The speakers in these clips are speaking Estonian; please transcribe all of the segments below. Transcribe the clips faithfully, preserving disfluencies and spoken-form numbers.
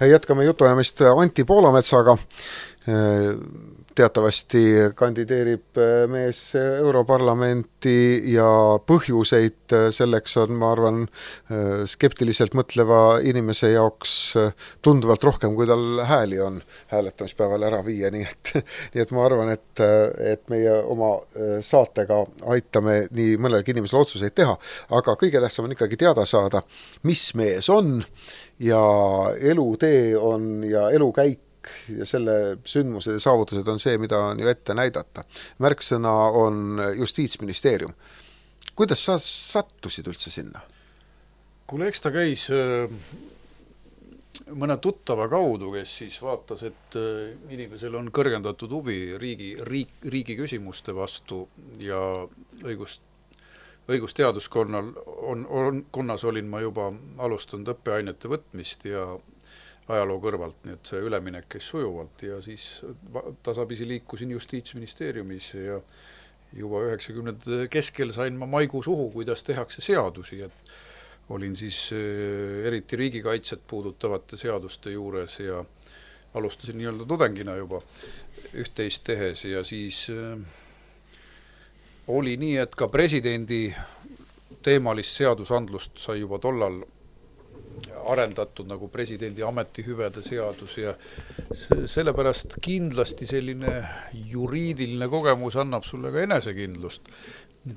Jätkame jutuajamist Anti Poolametsaga. Teatavasti kandideerib mees Europarlamenti ja põhjuseid selleks on, ma arvan, skeptiliselt mõtleva inimese jaoks tunduvalt rohkem, kui tal hääli on hääletamispäeval ära viia. Nii et, nii et ma arvan, et, et meie oma saatega aitame nii mõnelgi inimesel otsuseid teha. Aga kõige tähtsam on ikkagi teada saada, mis mees on ja elutee on ja elukäik ja selle sündmused ja saavutused on see, mida on ju ette näidata. Märksõna on Justiitsministeerium. Kuidas sa sattusid üldse sinna? Kuule, eks ta käis mõne tuttava kaudu, kes siis vaatas, et inimesel on kõrgendatud huvi riigi, riik, riigi küsimuste vastu ja õigust, õigusteaduskonnal on, on, konnas olin ma juba alustanud õppeainete võtmist ja ajaloo kõrvalt, nii et see üleminek käis sujuvalt ja siis tasapisi liikusin Justiitsministeeriumis ja juba üheksakümnendate keskel sain ma maigu suhu, kuidas tehakse seadusi, et olin siis eriti riigikaitset puudutavate seaduste juures ja alustasin nii-öelda tudengina juba üht-teist tehes ja siis oli nii, et ka presidendi teemalist seadusandlust sai juba tollal arendatud nagu presidendi ametihüvede seadus ja sellepärast kindlasti selline juriidiline kogemus annab sulle ka enesekindlust.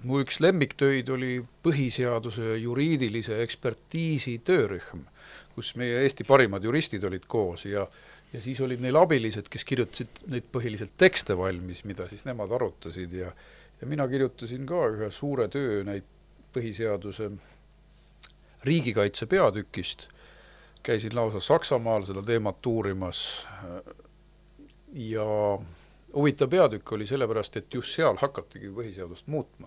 Mu üks lemmiktöid oli põhiseaduse juriidilise ekspertiisi töörühm, kus meie Eesti parimad juristid olid koos ja, ja siis olid neil abilised, kes kirjutasid neid põhiliselt tekste valmis, mida siis nemad arutasid ja, ja mina kirjutasin ka ühe suure töö neid põhiseaduse riigikaitse peatükist, käisin lausa Saksamaal seda teemat uurimas ja huvitav peatükk oli sellepärast, et just seal hakatigi põhiseadust muutma.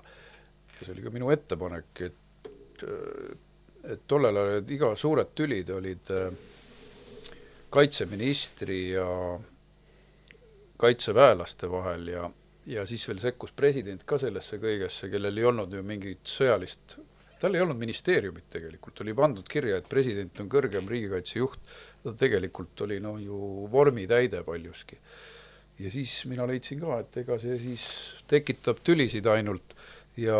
Ja see oli ka minu ettepanek, et, et tollel ajal iga suured tülid olid kaitseministri ja kaitseväelaste vahel ja, ja siis veel sekkus president ka sellesse kõigesse, kellel ei olnud ju mingit sõjalist tal ei olnud ministeeriumit tegelikult, oli pandud kirja, et president on kõrgem riigikaitsejuht, ta tegelikult oli no, ju vormi täide paljuski. Ja siis mina leidsin ka, et ega see siis tekitab tülisid ainult ja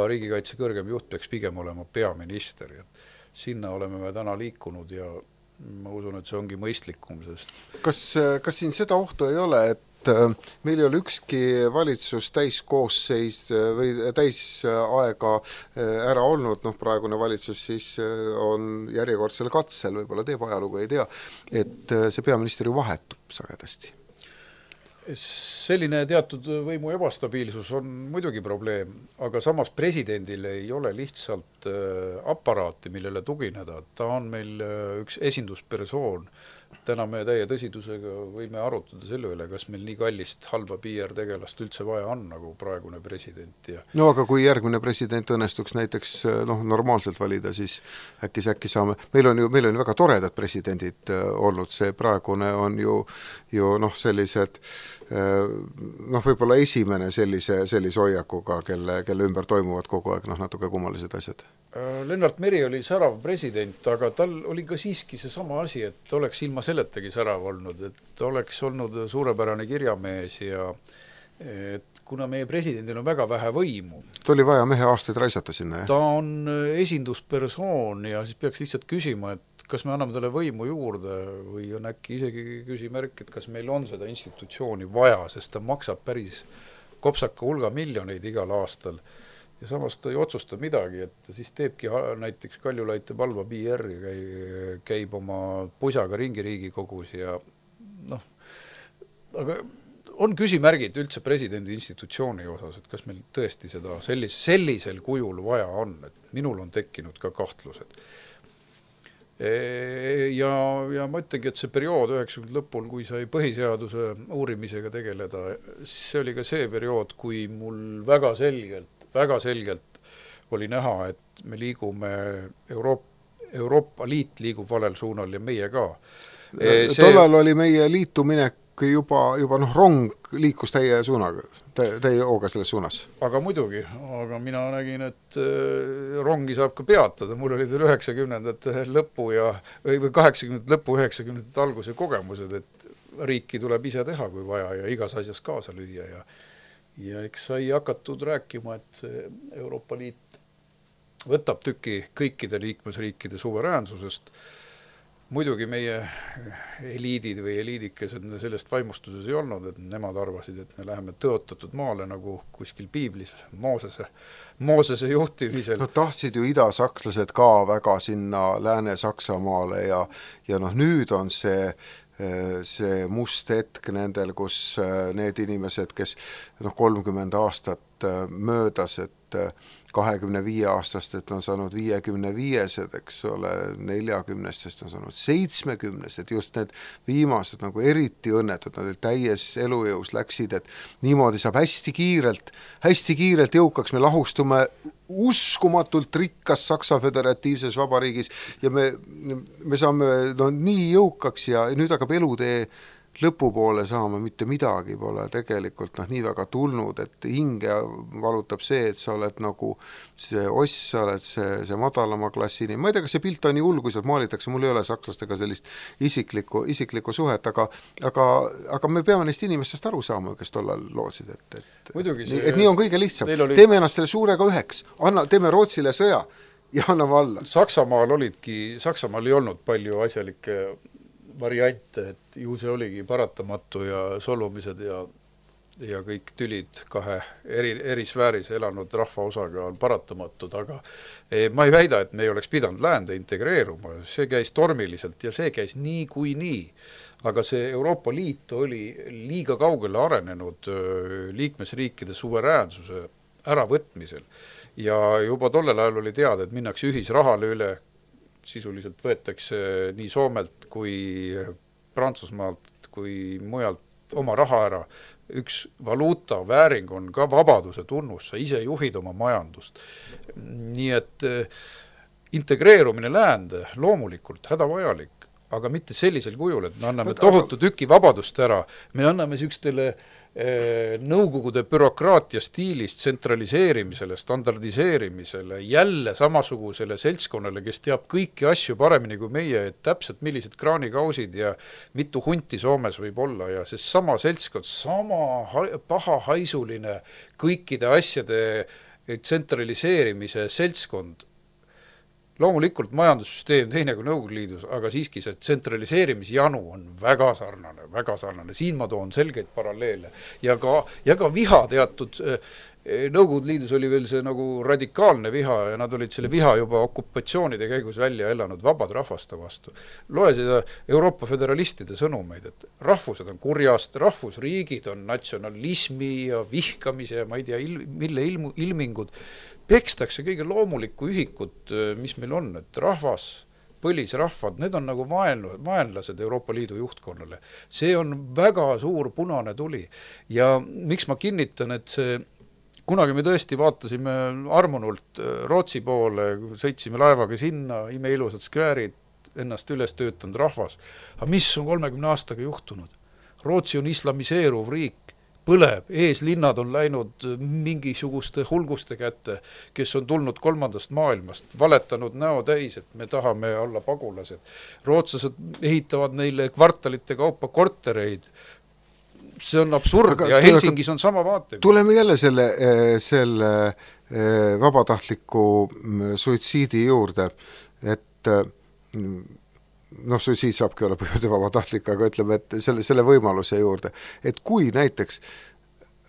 riigikaitse kõrgem juht peaks pigem olema peaminister. Ja sinna oleme me täna liikunud ja ma usun, et see ongi mõistlikum. Sest... Kas, kas siin seda ohtu ei ole, et meil ei ole ükski valitsus täiskoosseis või täisaega ära olnud, noh praegune valitsus siis on järjekordsel katsel, võib-olla teeb ajalugu, ei tea, et see peaminister ju vahetub sagedasti. Selline teatud võimu ebastabiilsus on muidugi probleem, aga samas presidendil ei ole lihtsalt aparaati, millele tugineda. Ta on meil üks esinduspersoon. Täna me täie tõsidusega võime arutada selle üle, kas meil nii kallist halba P R tegelast üldse vaja on nagu praegune president. Ja... No aga kui järgmine president õnnestuks näiteks noh, normaalselt valida, siis äkki, äkki saame... Meil on ju meil on väga toredad presidendid olnud, see praegune on ju, ju noh, sellised noh, võib-olla esimene sellise, sellise hoiakuga, kelle, kelle ümber toimuvad kogu aeg noh, natuke kummalised asjad. Lennart Meri oli särav president, aga tal oli ka siiski see sama asi, et oleks ilma selletagi särav olnud, et oleks olnud suurepärane kirjamees ja et kuna meie presidendil on väga vähe võimu. Ta oli vaja mehe aastaid raisata sinna, jah? Ta on esinduspersoon ja siis peaks lihtsalt küsima, et kas me anname talle võimu juurde või on äkki isegi küsimärk, et kas meil on seda institutsiooni vaja, sest ta maksab päris kopsaka hulga miljoneid igal aastal. Ja samas ta ei otsusta midagi, et siis teebki näiteks Kaljulaid teeb halva P R ja käib oma pusaga ringi Riigikogus ja noh, aga on küsimärgid üldse presidendi institutsiooni osas, et kas meil tõesti seda sellis, sellisel kujul vaja on, et minul on tekkinud ka kahtlused. Ja, ja ma ütlengi, et see periood üheksakümnendate lõpul, kui sai põhiseaduse uurimisega tegeleda, see oli ka see periood, kui mul väga selgelt väga selgelt oli näha, et me liigume Euroop, Euroopa Liit liigub valel suunal ja meie ka. See... Tollal oli meie liituminek juba, juba noh, rong liikus teie suunaga, te, teie hooga selles suunas. Aga muidugi, aga mina nägin, et rongi saab ka peatada, mul oli teil üheksakümnendate lõpu ja, või kaheksakümnendate lõpu, üheksakümnendate alguse kogemused, et riiki tuleb ise teha, kui vaja, ja igas asjas kaasa lüüa, ja ja eks sai hakatud rääkima, et Euroopa Liit võtab tüki kõikide liikmesriikide suveräänsusest. Muidugi meie eliidid või eliidikesed sellest vaimustuses ei olnud, et nemad arvasid, et me läheme tõotatud maale nagu kuskil piiblis Moosese, Moosese juhtimisel. No tahtsid ju idasakslased ka väga sinna Lääne-Saksamaale ja, ja noh, nüüd on see see must hetk nendel, kus need inimesed, kes noh, kolmkümmend aastat möödas, et kahekümne viie aastast, et on saanud viiekümne viiesed, eks ole, neljakümnestest on saanud seitsmekümnesed, just need viimased nagu eriti õnnetud, nad täies elujõus läksid, et niimoodi saab hästi kiirelt, hästi kiirelt jõukaks, me lahustume uskumatult rikkas Saksa Föderatiivses Vabariigis ja me, me saame no, nii jõukaks ja nüüd hakkab elutee lõpupoole saama, mitte midagi pole tegelikult noh, nii väga tulnud, et hinge valutab see, et sa oled nagu see oss, sa oled see, see madalama klassini. Ma ei tea, kas see pilt on nii hull, kui sealt maalitakse, mul ei ole sakslastega sellist isiklikku, isiklikku suhet, aga, aga, aga me peame neist inimestest aru saama, kes tollal lootsid, et, et, see, et nii on kõige lihtsam. Oli... Teeme ennast selle suurega üheks, anna, teeme Rootsile sõja ja anname alla. Saksamaal olidki, Saksamaal ei olnud palju asjalikke variante, et ju see oligi paratamatu ja solumised ja, ja kõik tülid kahe eri, eri sfääris elanud rahvaosaga on paratamatud, aga eh, ma ei väida, et me ei oleks pidanud läände integreeruma, see käis tormiliselt ja see käis nii kui nii, aga see Euroopa Liit oli liiga kaugele arenenud liikmesriikide suveräänsuse äravõtmisel ja juba tollel ajal oli teada, et minnakse ühisrahale üle, sisuliselt võetakse nii Soomelt kui Prantsusmaalt kui mujalt oma raha ära. Üks valuuta vääring on ka vabaduse tunnus, sa ise juhid oma majandust. Nii et integreerumine läände loomulikult hädavajalik, aga mitte sellisel kujul, et me anname tohutu tüki vabadust ära, me anname sükstele nõukogude bürokraatia stiilist tsentraliseerimisele, standardiseerimisele, jälle samasugusele seltskonnale, kes teab kõiki asju paremini kui meie, et täpselt millised kraanikausid ja mitu hunti Soomes võib olla ja see sama seltskond, sama pahahaisuline kõikide asjade tsentraliseerimise seltskond. Loomulikult majandussüsteem teine kui Nõukogude Liidus, aga siiski see tsentraliseerimisjanu on väga sarnane, väga sarnane. Siin ma toon selgeid paralleele. Ja ka, ja ka viha teatud, Nõukogude Liidus oli veel see nagu radikaalne viha ja nad olid selle viha juba okupatsioonide käigus välja elanud vabad rahvaste vastu. Loe seda Euroopa föderalistide sõnumeid, et rahvused on kurjast, rahvusriigid on natsionalismi ja vihkamise ja ma ei tea, il, mille ilmu, ilmingud. Pekstakse kõige loomulikku ühikut, mis meil on, et rahvas, põlisrahvad, need on nagu vaenlu, vaenlased Euroopa Liidu juhtkonnale. See on väga suur punane tuli. Ja miks ma kinnitan, et see, kunagi me tõesti vaatasime armunult Rootsi poole, sõitsime laevaga sinna, imeilusad skväärid, ennast üles töötanud rahvas. Aga mis on kolmekümne aastaga juhtunud? Rootsi on islamiseeruv riik. Põleb, eeslinnad on läinud mingisuguste hulguste kätte, kes on tulnud kolmandast maailmast, valetanud näo täis, et me tahame olla pagulased. Rootslased ehitavad neile kvartalite kaupa kortereid. See on absurd aga, ja Helsingis on sama vaate. Tuleme jälle selle, selle vabatahtliku suitsiidi juurde, et noh, suitsiid saabki olla põhjude vabatahtlik, aga ütleme, et selle, selle võimaluse juurde, et kui näiteks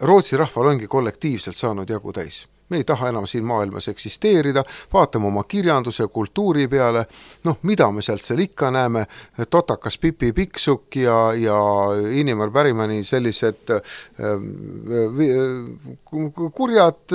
Rootsi rahval ongi kollektiivselt saanud jagu täis, me ei taha enam siin maailmas eksisteerida, vaatame oma kirjanduse, kultuuri peale, noh, mida me sealt seal ikka näeme, Totakas Pipi Piksuk ja, ja Inimar Pärimani sellised kurjad,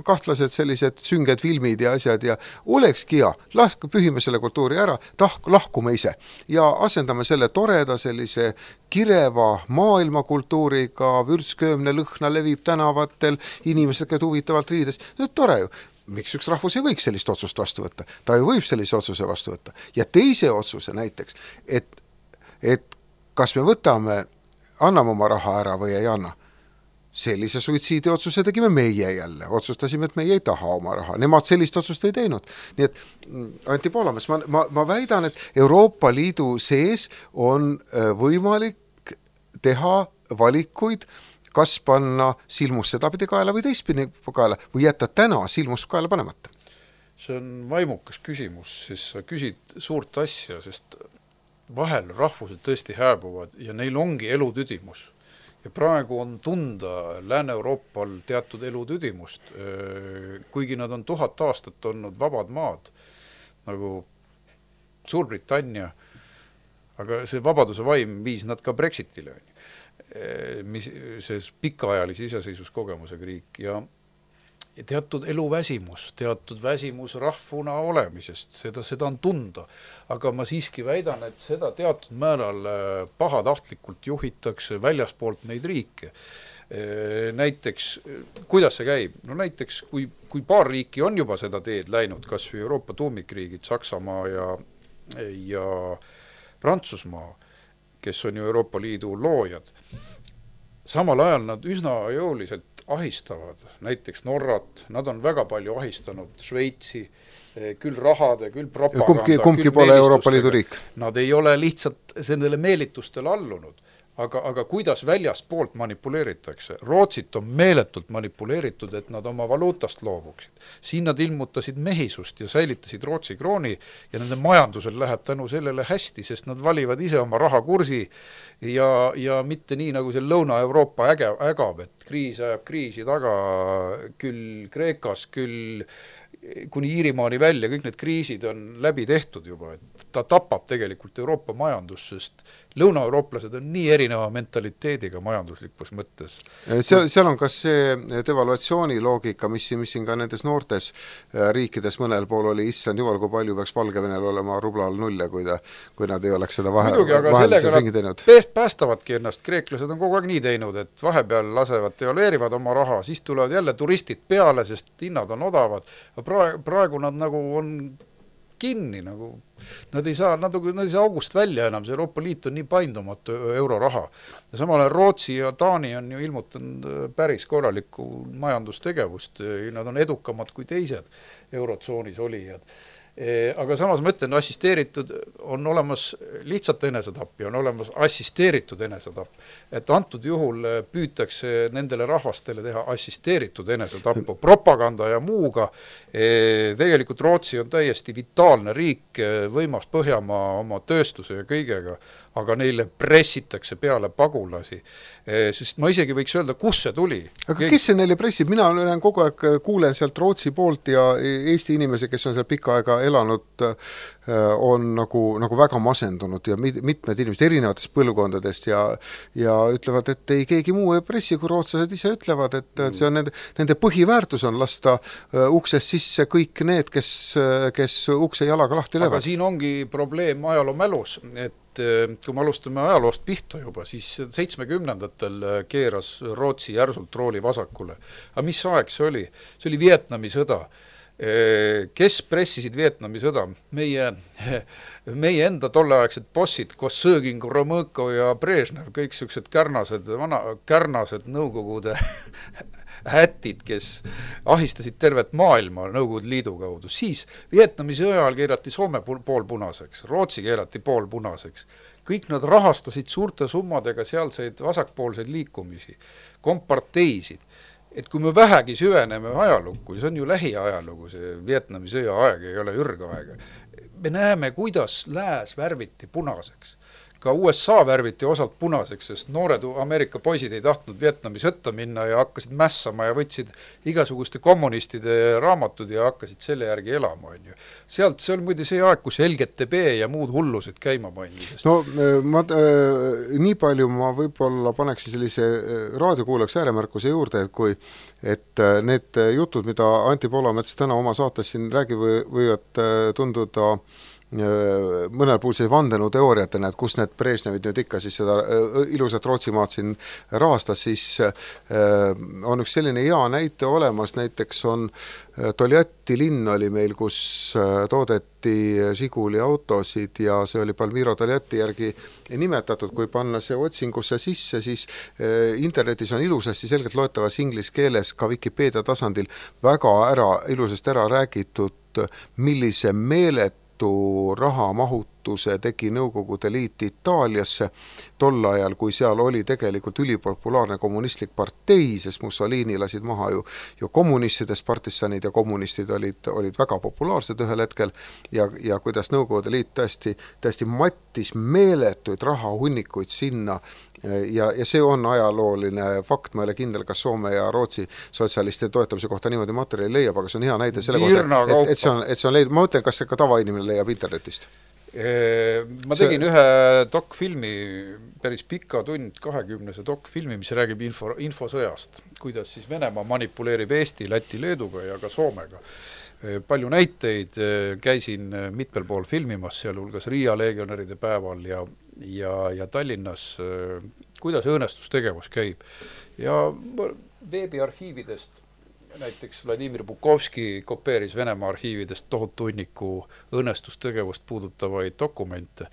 kahtlased sellised sünged filmid ja asjad ja olekski hea, laske pühime selle kultuuri ära, tahk, lahkume ise ja asendame selle toreda sellise kireva maailmakultuuriga, vürtsköömne lõhna levib tänavatel, inimesed käid huvitavalt riides, no tore ju. Miks üks rahvus ei võiks sellist otsust vastu võtta? Ta ju võib sellise otsuse vastu võtta. Ja teise otsuse näiteks, et, et kas me võtame, anname oma raha ära või ei anna. Sellise suitsiidiotsuse tegime meie jälle, otsustasime, et meie ei taha oma raha, nemad sellist otsust ei teinud. Nii et Anti Poolamets, ma, ma, ma väidan, et Euroopa Liidu sees on võimalik teha valikuid, kas panna silmus sedapidi kaela või teistpidi kaela või jätta täna silmus kaela panemata. See on vaimukas küsimus, siis sa küsid suurt asja, sest vahel rahvused tõesti hääbuvad ja neil ongi elutüdimus. Ja praegu on tunda Lääne-Euroopal teatud elutüdimust, kuigi nad on tuhat aastat olnud vabad maad, nagu Suurbritannia, aga see vabaduse vaim viis nad ka Brexitile, mis see pikaajalise iseseisvuskogemusega riik ja Ja teatud eluväsimus, teatud väsimus rahvuna olemisest, seda, seda on tunda. Aga ma siiski väidan, et seda teatud määral pahatahtlikult juhitakse väljaspoolt neid riike. Näiteks, kuidas see käib? No näiteks, kui, kui paar riiki on juba seda teed läinud, kas või Euroopa tuumikriigid, Saksamaa ja, ja Prantsusmaa, kes on ju Euroopa Liidu loojad, samal ajal nad üsna jõuliselt ahistavad, näiteks Norrat, nad on väga palju ahistanud Šveitsi, küll rahade, küll propaganda. Kumbki, kumbki pole Euroopa Liidu riik. Nad ei ole lihtsalt nendele meelitustele allunud, aga, aga kuidas väljaspoolt manipuleeritakse? Rootsit on meeletult manipuleeritud, et nad oma valuutast loobuksid. Siin nad ilmutasid mehisust ja säilitasid Rootsi krooni ja nende majandusel läheb tänu sellele hästi, sest nad valivad ise oma rahakursi ja, ja mitte nii nagu see Lõuna-Euroopa äge, ägab, et kriis ajab kriisi taga küll Kreekas, küll kuni Iirimaani välja, kõik need kriisid on läbi tehtud juba, et ta tapab tegelikult Euroopa majandus, sest lõunaeurooplased on nii erineva mentaliteediga majanduslikus mõttes. Seal, seal on kas see devaluatsiooni loogika, mis, mis siin ka nendes noortes riikides mõnel pool oli, issand jumal, kui palju peaks Valgevenel olema rublal nulle, kui, ta, kui nad ei oleks seda vahe, vahelisel ringi teinud. Päästavadki ennast, kreeklased on kogu aeg nii teinud, et vahepeal lasevad, devalueerivad oma raha, siis tulevad jälle turistid peale, sest hinnad on odavad. Praegu, praegu nad nagu on kinni, nagu nad ei saa, nad, nad ei saa august välja enam, see Euroopa Liit on nii paindumatu euroraha. Ja samal Rootsi ja Taani on ju ilmutanud päris korralikku majandustegevust, nad on edukamad kui teised eurotsoonis olijad. Aga samas ma ütlen, assisteeritud on olemas lihtsalt enesetapp ja on olemas assisteeritud enesetapp. Et antud juhul püütakse nendele rahvastele teha assisteeritud enesetappu propaganda ja muuga. Tegelikult Rootsi on täiesti vitaalne riik, võimas Põhjamaa oma tööstuse ja kõigega, aga neile pressitakse peale pagulasi. Sest ma isegi võiks öelda, kus see tuli. Aga Keegi... kes see neile pressib? Mina olen kogu aeg kuulen sealt Rootsi poolt ja Eesti inimesi, kes on seal pikka aega elanud, on nagu, nagu väga masendunud ja mitmed inimesed erinevatest põlvkondadest ja, ja ütlevad, et ei keegi muu ei pressi, kui rootslased ise ütlevad, et see on nende, nende põhiväärtus on lasta uksest sisse kõik need, kes, kes ukse jalaga lahti löövad. Aga siin ongi probleem ajaloo mälus, et kui me alustame ajaloost pihta juba, siis seitsmekümnendatel keeras Rootsi järsult rooli vasakule. Aga mis aeg see oli? See oli Vietnami sõda. Kes pressisid Vietnami sõda? Meie, meie enda tolleaegsed bossid, Kossõgin, Gromõko ja Brežnev, kõik sellised kärnased, vana, kärnased nõukogude hätid, kes ahistasid tervet maailma Nõukogude Liidu kaudu. Siis Vietnami sõja ajal keerati Soome pool punaseks, Rootsi keerati pool punaseks. Kõik nad rahastasid suurte summadega sealseid vasakpoolseid liikumisi, komparteisid. Et kui me vähegi süveneme ajalukku, see on ju lähiajalugu, see Vietnami sõja aeg ei ole ürgaega. Me näeme, kuidas lääs värviti punaseks. Ka U S A värviti osalt punaseks, sest noored Ameerika poisid ei tahtnud Vietnami sõtta minna ja hakkasid mässama ja võtsid igasuguste kommunistide raamatud ja hakkasid selle järgi elama. Sealt see oli muide see aeg, kus L G T B ja muud hullused käima pandi. No ma, äh, nii palju ma võib-olla paneksin sellise raadiokuulaks ääremärkuse juurde, et kui et need jutud, mida Anti Poolamets täna oma saates siin räägi, võivad tunduda mõnel puhul see vandenõuteooriatena, et kus need Brežnevid nüüd ikka siis seda ilusat Rootsimaad siin rahastas, siis on üks selline hea näite olemas, näiteks on Toljatti linn oli meil, kus toodeti Žiguli autosid ja see oli Palmiro Toljatti järgi nimetatud. Kui panna see otsingusse sisse, siis internetis on ilusasti selgelt loetavas inglise keeles ka Wikipedia tasandil väga ära, ilusasti ära räägitud, millise meeletu rahamahutuse tegi Nõukogude Liit Itaaliasse tol ajal, kui seal oli tegelikult ülipopulaarne kommunistlik partei, sest Mussolini lasid maha ju, ju kommunistidest, partisanid ja kommunistid olid, olid väga populaarsed ühel hetkel ja, ja kuidas Nõukogude Liit tõesti, tõesti mattis meeletuid rahahunnikuid sinna ja, ja see on ajalooline fakt, ma ei ole kindel, kas Soome ja Rootsi sotsialistide toetamise kohta niimoodi materjali leiab, aga see on hea näide selle kohta, et, et see on, et see on leidnud, ma mõtlen, kas see ka tavainimene leiab internetist. Ma tegin see... ühe dokfilmi, päris pika tund kahekümnese dokfilmi, mis räägib info, infosõjast, kuidas siis Venemaa manipuleerib Eesti, Läti, Leeduga ja ka Soomega. Palju näiteid, käisin mitmel pool filmimas, sealhulgas Riia legionäride päeval ja, ja, ja Tallinnas, kuidas õõnestustegevus käib. Ja veebiarhiividest näiteks Vladimir Bukovski kopeeris Venemaa arhiividest tohutu hunniku õnnestustegevust puudutavaid dokumente.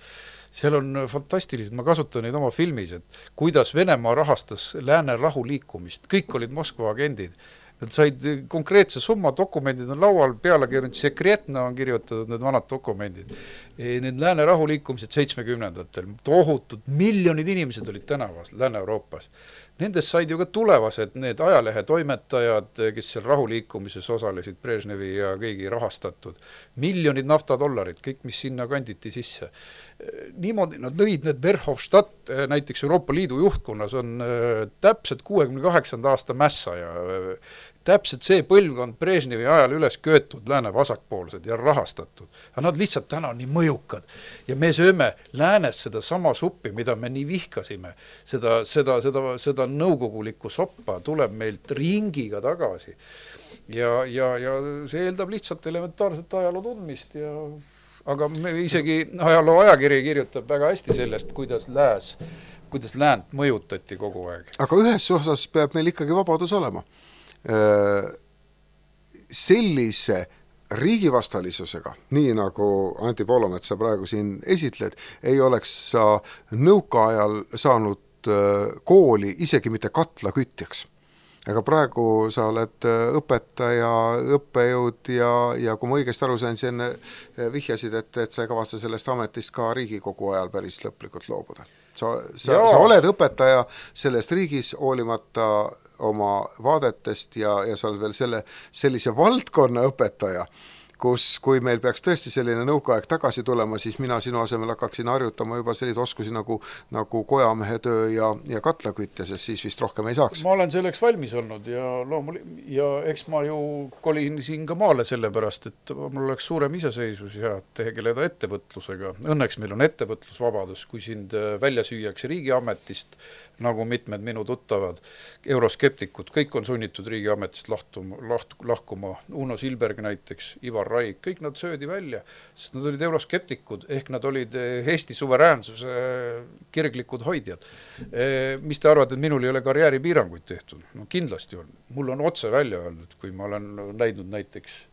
Seal on fantastilised, ma kasutan neid oma filmis, et kuidas Venemaa rahastas lääne rahuliikumist. Kõik olid Moskva agendid. Nad said konkreetse summa, dokumendid on laual, pealegi sekretna on kirjutatud need vanad dokumendid. Need lääne rahuliikumised seitsmekümnendatel, tohutud, miljonid inimesed olid tänavas Lääne-Euroopas. Nendest said ju ka tulevased need ajalehe toimetajad, kes seal rahuliikumises osalesid, Brežnevi ja kõigi rahastatud. Miljonid naftadollarid, kõik, mis sinna kanditi sisse. Niimoodi nad lõid need Verhofstadt, näiteks Euroopa Liidu juhtkonnas on täpselt kuuekümne kaheksanda aasta mässa ja täpselt see põlvkond Brežnevi ajal üles köetud lääne vasakpoolsed ja rahastatud. Aga nad lihtsalt täna on nii mõjukad. Ja me sööme läänes seda sama suppi, mida me nii vihkasime. Seda, seda, seda, seda nõukogulikku soppa tuleb meilt ringiga tagasi. Ja, ja, ja see eeldab lihtsalt elementaarset ajaloo tundmist. Ja, aga me isegi ajaloo ajakiri kirjutab väga hästi sellest, kuidas lääs, kuidas läänt mõjutati kogu aeg. Aga ühes osas peab meil ikkagi vabadus olema. Sellise riigivastalisusega, nii nagu Anti Poolomets sa praegu siin esitled, ei oleks sa nõukaajal saanud kooli isegi mitte katla kütjaks. Aga praegu sa oled õpetaja, õppejõud ja, ja kui ma õigesti aru sain, siis enne vihjasid, et, et sa ei kavatse sellest ametist ka Riigikogu ajal päris lõplikult loobuda. Sa, sa, sa oled õpetaja sellest riigis hoolimata oma vaadetest ja, ja sa oled veel selle, sellise valdkonna õpetaja, kus kui meil peaks tõesti selline nõukaaeg tagasi tulema, siis mina sinu asemel hakkaksin harjutama juba selliseid oskusi nagu, nagu kojamehe töö ja, ja katlakütte, sest siis vist rohkem ei saaks. Ma olen selleks valmis olnud ja, loomul, ja eks ma ju kolin siin ka maale sellepärast, et mul oleks suurem iseseisus ja tegeleda ettevõtlusega. Õnneks meil on ettevõtlusvabadus, kui sind välja süüakse riigiametist, nagu mitmed minu tuttavad euroskeptikud, kõik on sunnitud riigiametist lahtuma, laht, lahkuma. Uno Silberg näiteks, Ivar Raik, kõik nad söödi välja, sest nad olid euroskeptikud, ehk nad olid Eesti suveräänsuse kirglikud hoidjad. Mis te arvate, et minul ei ole karjääripiiranguid tehtud? No kindlasti on. Mul on otse välja öeldud, kui ma olen näidnud näiteks,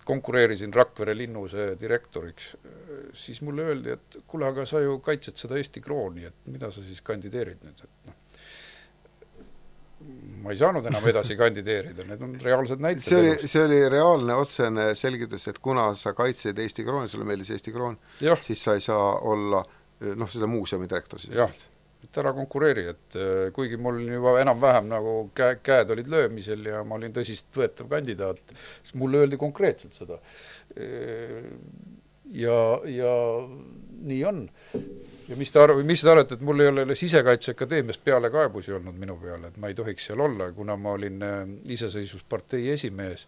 konkureerisin Rakvere linnuse direktoriks, siis mulle öeldi, et kuule, aga sa ju kaitsed seda Eesti krooni, et mida sa siis kandideerid nüüd? Et no, ma ei saanud enam edasi kandideerida, need on reaalsed näited. See oli, see oli reaalne otsene selgitus, et kuna sa kaitsed Eesti krooni, sulle meeldis Eesti kroon, ja. Siis sa ei saa olla noh, seda muuseumi direktor. Jah, et ära konkureeri, et kuigi mul juba enam-vähem nagu käe, käed olid löömisel ja ma olin tõsist võetav kandidaat, siis mulle öeldi konkreetselt seda. Ja, ja nii on. Ja mis te, arv, mis te arvate, et mul ei ole Sisekaitseakadeemiast peale kaebusi olnud minu peale, et ma ei tohiks seal olla, kuna ma olin iseseisvuspartei esimees,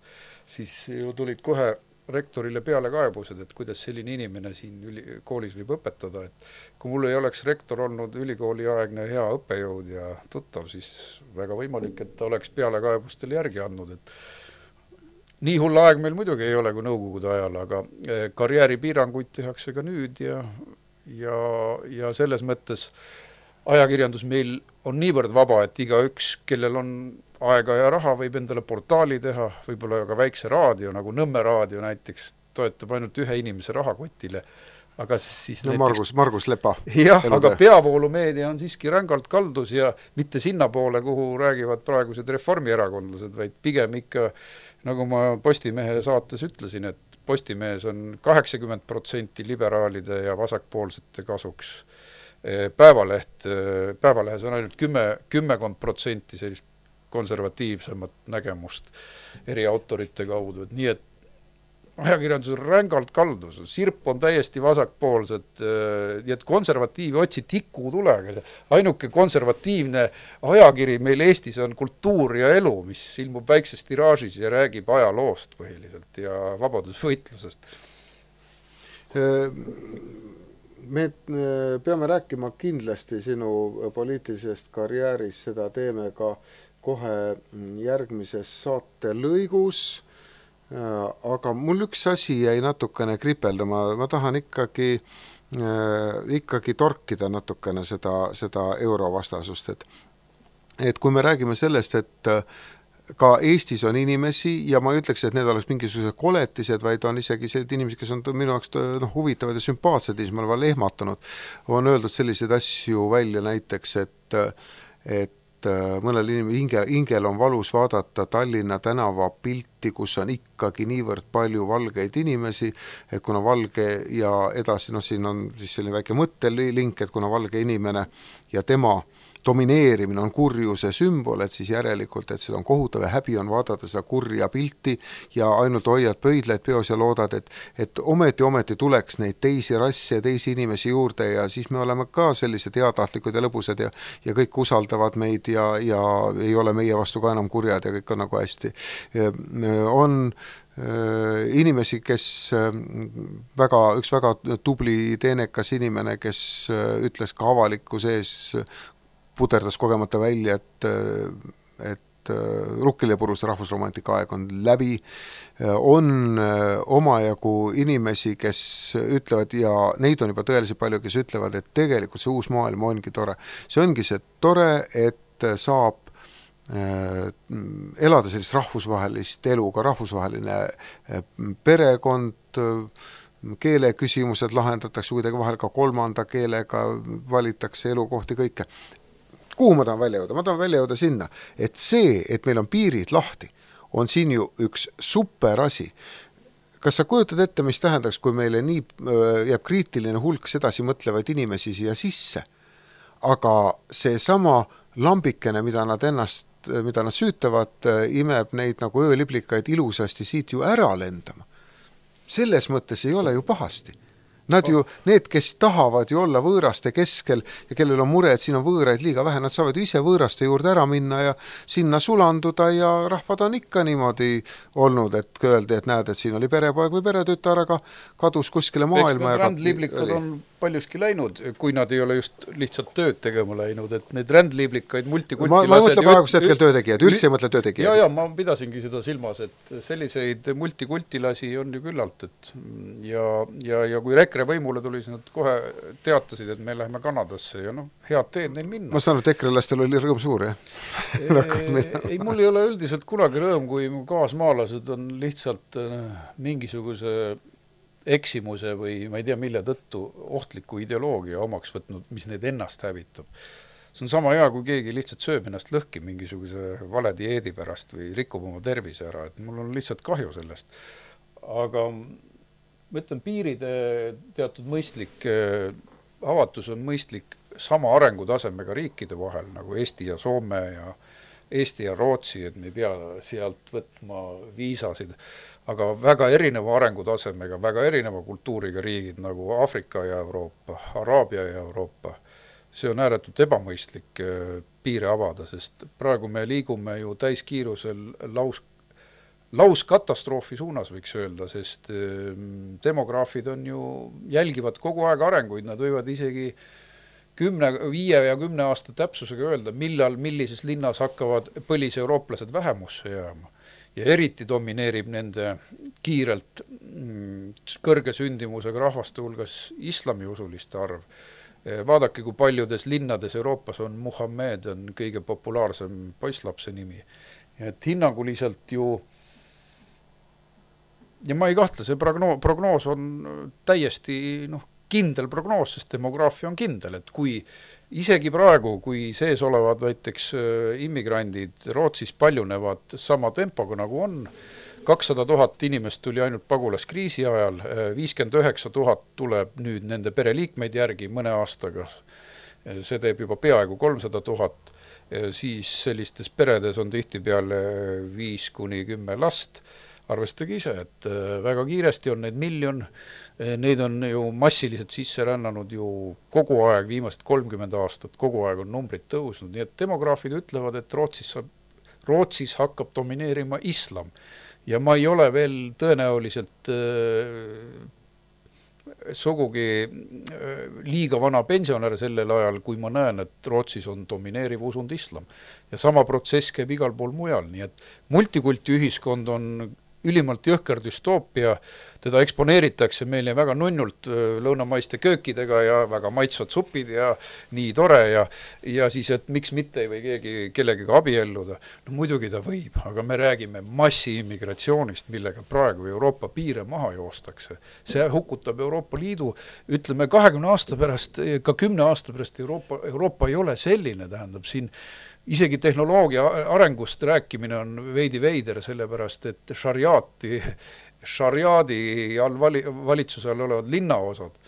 siis ju tulid kohe rektorile peale kaebused, et kuidas selline inimene siin üli, koolis võib õpetada, et kui mul ei oleks rektor olnud ülikooliaegne hea õppejõud ja tuttav, siis väga võimalik, et ta oleks peale kaebustel järgi andnud, et nii hull aeg meil muidugi ei ole kui nõukogude ajal, aga karjääripiiranguid tehakse ka nüüd ja, ja, ja selles mõttes ajakirjandus meil on niivõrd vaba, et igaüks, kellel on aega ja raha, võib endale portaali teha, võib-olla ka väikse raadio, nagu Nõmme raadio näiteks, toetab ainult ühe inimese rahakotile. Aga siis no, näiteks... Margus, Margus Lepa. Jah, aga peavoolumeedia on siiski rängalt kaldus ja mitte sinna poole, kuhu räägivad praegused reformierakondlased, vaid pigem ikka, nagu ma Postimehe saates ütlesin, et Postimehes on kaheksakümmend protsenti liberaalide ja vasakpoolsete kasuks. Päevaleht, päevalehes on ainult kümme, kümmekond protsenti sellist konservatiivsemat nägemust eri autorite kaudu. Et nii et ajakirjandus on rängalt kaldus, sirp on täiesti vasakpoolsed, nii et konservatiivi otsi tiku tulega. Ainuke konservatiivne ajakiri meil Eestis on Kultuur ja elu, mis ilmub väikses tiraažis ja räägib ajaloost põhiliselt ja vabadusvõitlusest. Me peame rääkima kindlasti sinu poliitilisest karjäärist, seda teeme ka kohe järgmises saate lõigus. Aga mul üks asi jäi natukene kripeldama, ma tahan ikkagi, äh, ikkagi torkida natukene seda, seda eurovastasust, et, et kui me räägime sellest, et ka Eestis on inimesi ja ma ei ütleks, et need oleks mingisugused koletised, vaid on isegi sellised inimesed, kes on minu jaoks no, huvitavad ja sümpaatsed, siis ma olen lehmatunud, on öeldud selliseid asju välja näiteks, et, et mõnel inimene hinge, hingel on valus vaadata Tallinna tänava pilti, kus on ikkagi niivõrd palju valgeid inimesi, et kuna valge ja edasi, no siin on siis selline väike mõttelink, et kuna valge inimene ja tema domineerimine on kurjuse sümbol, et siis järelikult, et seda on kohutav ja häbi on vaadata seda kurja pilti ja ainult hoiad pöidlaid peos ja loodad, et, et ometi, ometi tuleks neid teisi rasse ja teisi inimesi juurde ja siis me oleme ka sellised heatahtlikud ja lõbusad ja, ja kõik usaldavad meid ja, ja ei ole meie vastu ka enam kurjad ja kõik on nagu hästi. On inimesi, kes väga, üks väga tubli teenekas inimene, kes ütles ka avaliku sees, puterdas kogemata välja, et, et Rukkilipuruse rahvusromantika aeg on läbi, on omajagu inimesi, kes ütlevad ja neid on juba tõeliselt palju, kes ütlevad, et tegelikult see uus maailm ongi tore. See ongi see tore, et saab elada sellist rahvusvahelist elu, ka rahvusvaheline perekond, keele küsimused lahendatakse kuidagi vahel ka kolmanda keelega, valitakse elukohti kõike. Kuhu ma tahan välja jõuda? Ma tahan välja jõuda sinna, et see, et meil on piirid lahti, on siin ju üks super asi. Kas sa kujutad ette, mis tähendaks, kui meile nii jääb kriitiline hulk sedasi mõtlevaid inimesi siia sisse, aga see sama lambikene, mida nad ennast, mida nad süütavad, imeb neid nagu ööliblikaid ilusasti siit ju ära lendama. Selles mõttes ei ole ju pahasti. Nad ju, need, kes tahavad ju olla võõraste keskel ja kellel on mure, et siin on võõraid liiga vähe, nad saavad ju ise võõraste juurde ära minna ja sinna sulanduda ja rahvad on ikka niimoodi olnud, et öeldi, et näed, et siin oli perepoeg või peretütar, aga kadus kuskile maailma. Eks need rändliiblikad on paljuski läinud, kui nad ei ole just lihtsalt tööd tegema läinud, et need rändliiblikaid multikultilased... Ma, ma ei mõtle praegust hetkel töötegijad, üldse ei mõtle töötegijad. Ja, ja, ma pidasingi seda silmas, et selliseid multikultilasi on ju küllalt, et ja, ja, ja kui EKRE võimule tuli, siis nad kohe teatasid, et me läheme Kanadasse ja noh, head teed neil minna. Ma saan, et EKRE-lastel oli rõõm suur, jah? ei, mul ei ole üldiselt kunagi rõõm, kui mu kaasmaalased on lihtsalt mingisuguse eksimuse või ma ei tea mille tõttu ohtliku ideoloogia omaks võtnud, mis neid ennast hävitab. See on sama hea, kui keegi lihtsalt sööb ennast lõhki mingisuguse vale dieedi pärast või rikub oma tervise ära, et mul on lihtsalt kahju sellest. Aga ma ütlen, piiride teatud mõistlik avatus on mõistlik sama arengutasemega riikide vahel, nagu Eesti ja Soome ja Eesti ja Rootsi, et me ei pea sealt võtma viisasid, aga väga erineva arengutasemega, väga erineva kultuuriga riigid nagu Aafrika ja Euroopa, Araabia ja Euroopa. See on ääretult ebamõistlik piire avada, sest praegu me liigume ju täiskiirusel laus, lauskatastroofi suunas, võiks öelda, sest demograafid on ju, jälgivad kogu aeg arenguid, nad võivad isegi kümne, viie ja kümne aasta täpsusega öelda, millal, millises linnas hakkavad põliseeurooplased vähemusse jääma. ja eriti domineerib nende kiirelt kõrge sündimusega rahvaste hulgas islamiusuliste arv. Vaadake, kui paljudes linnades Euroopas on Muhammed, on kõige populaarsem poisslapse nimi. Et hinnanguliselt ju, ja ma ei kahtle, see prognoos, prognoos on täiesti noh, kindel prognoos, sest demograafia on kindel, et kui isegi praegu, kui sees olevad näiteks immigrandid Rootsis paljunevad sama tempoga nagu on, kakssada tuhat inimest tuli ainult pagulaskriisi ajal, viiskümmend üheksa tuhat tuleb nüüd nende pereliikmeid järgi mõne aastaga, see teeb juba peaaegu kolmsada tuhat, siis sellistes peredes on tihtipeale viis kuni kümme last, arvestage ise, et väga kiiresti on neid miljon, neid on ju massiliselt sisse rännanud ju kogu aeg, viimased kolmkümmend aastat, kogu aeg on numbrid tõusnud, nii et demograafid ütlevad, et Rootsis, saab, Rootsis hakkab domineerima islam. Ja ma ei ole veel tõenäoliselt äh, sugugi äh, liiga vana pensionär sellel ajal, kui ma näen, et Rootsis on domineeriv usund islam. Ja sama protsess käib igal pool mujal, nii et multikulti ühiskond on ülimalt jõhker düstoopia, teda eksponeeritakse meile väga nunnult lõunamaiste köökidega ja väga maitsvad supid ja nii tore ja, ja siis, et miks mitte ei või keegi kellegagi abielluda. No muidugi ta võib, aga me räägime massiimmigratsioonist, millega praegu Euroopa piire maha joostakse. See hukutab Euroopa Liidu, ütleme kahekümne aasta pärast, ka kümne aasta pärast Euroopa, Euroopa ei ole selline, tähendab siin isegi tehnoloogia arengust rääkimine on veidi veider, sellepärast, et šariaati, šariaadi all vali, valitsuse all olevad linnaosad,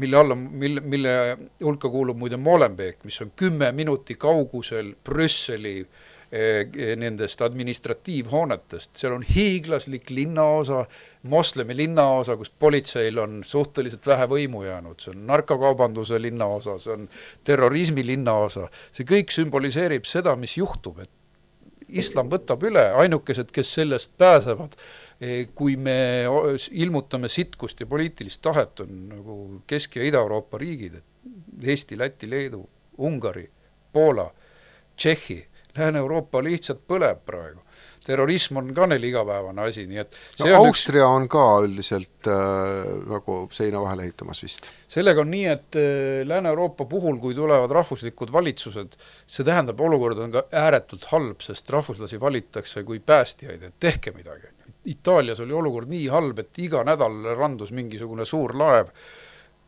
mille, alla, mille, mille hulka kuulub muide Molenbeek, mis on kümme minuti kaugusel Brüsseli eh, nendest administratiivhoonetest. Seal on hiiglaslik linnaosa, moslemi linnaosa, kus politseil on suhteliselt vähe võimu jäänud. See on narkokaubanduse linnaosa, see on terrorismi linnaosa. See kõik symboliseerib seda, mis juhtub, et islam võtab üle, ainukesed, kes sellest pääsevad, kui me ilmutame sitkust ja poliitilist tahet, on nagu Kesk- ja Ida-Euroopa riigid, Eesti, Läti, Leedu, Ungari, Poola, Tšehhi, Lääne-Euroopa lihtsalt põleb praegu. Terrorism on ka neil igapäevane asi, nii et see no, on Austria üks... on ka üldiselt äh, nagu seina vahele ehitamas vist. Sellega on nii, et äh, Lääne-Euroopa puhul, kui tulevad rahvuslikud valitsused, see tähendab, olukord on ka ääretult halb, sest rahvuslasi valittakse kui päästjaid, et tehke midagi. Itaalias oli olukord nii halb, et iga nädal randus mingisugune suur laev.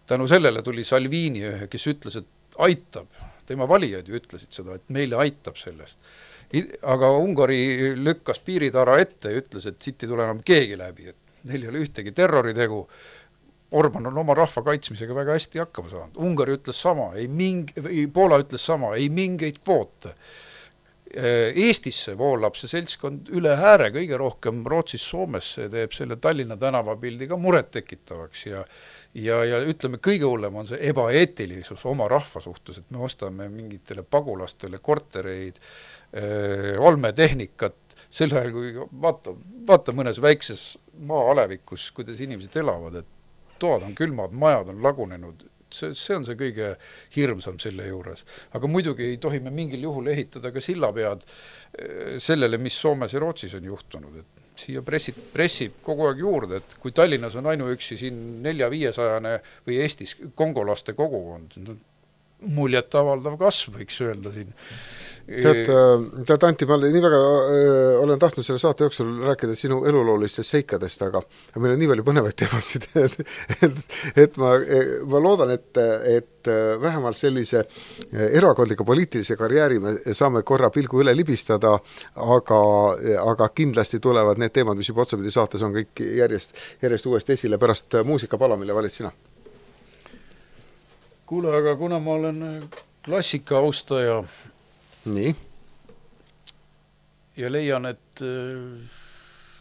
Tänu sellele tuli Salvini, kes ütles, et aitab. Tema valijad ju ütlesid seda, et meile aitab sellest. Aga Ungari lükkas piiritara ette ja ütles, et siit ei tule enam keegi läbi, et neil ei ole ühtegi terroritegu. Orban on oma rahva kaitsmisega väga hästi hakkama saanud. Ungari ütles sama, ei ming, Poola ütles sama, ei mingeid kvoote. Eestisse voolab see seltskond üle ääre kõige rohkem Rootsis, Soomesse, teeb selle Tallinna tänavapildi ka muret tekitavaks ja Ja, ja ütleme, kõige hullem on see ebaeetilisus oma rahva suhtes, et me ostame mingitele pagulastele kortereid, öö, olmetehnikat, sel ajal, kui vaata, vaata mõnes väikses maa-alevikus, kuidas inimesed elavad, et toad on külmad, majad on lagunenud, see, see on see kõige hirmsam selle juures. Aga muidugi ei tohi me mingil juhul ehitada ka sillapead sellele, mis Soomes ja Rootsis on juhtunud, et siia pressib, pressib kogu aeg juurde, et kui Tallinnas on ainuüksi siin nelja-viiesajane või Eestis kongolaste kogukond, muljet avaldav kasv, võiks öelda siin. Tead, tead Anti, ma nii väga öö, olen tahtnud selle saate jooksul rääkida sinu eluloolistest seikadest, aga meil on nii palju põnevaid teemasid, et, et, et ma, ma loodan, et, et vähemalt sellise erakondliku poliitilise karjääri me saame korra pilgu üle libistada, aga, aga kindlasti tulevad need teemad, mis juba otsapidi saates on kõik järjest, järjest uuesti esile pärast muusikapala, mille valid sina. Kuule, aga kuna ma olen klassika austaja nii. Ja leian, et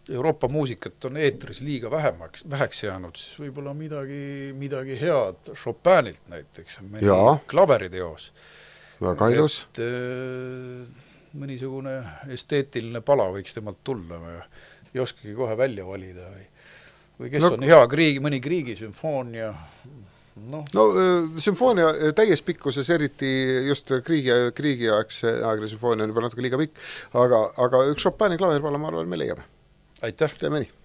Euroopa muusikat on eetris liiga vähemaks, väheks jäänud, siis võib-olla midagi, midagi head Chopinilt näiteks, klaveriteos. Väga ilus. Et mõnisugune esteetiline pala võiks temalt tulla või ei oskagi kohe välja valida või, või kes no, on hea kriigi, mõni kriigisümfoonia, no, no sümfoonia täies pikkuses, eriti just kriigi, kriigiaegse aegne sümfoonia on juba natuke liiga pikk, aga, aga üks Chopini klaverpala, ma arvan, me leiame. aitäh! Teeme nii!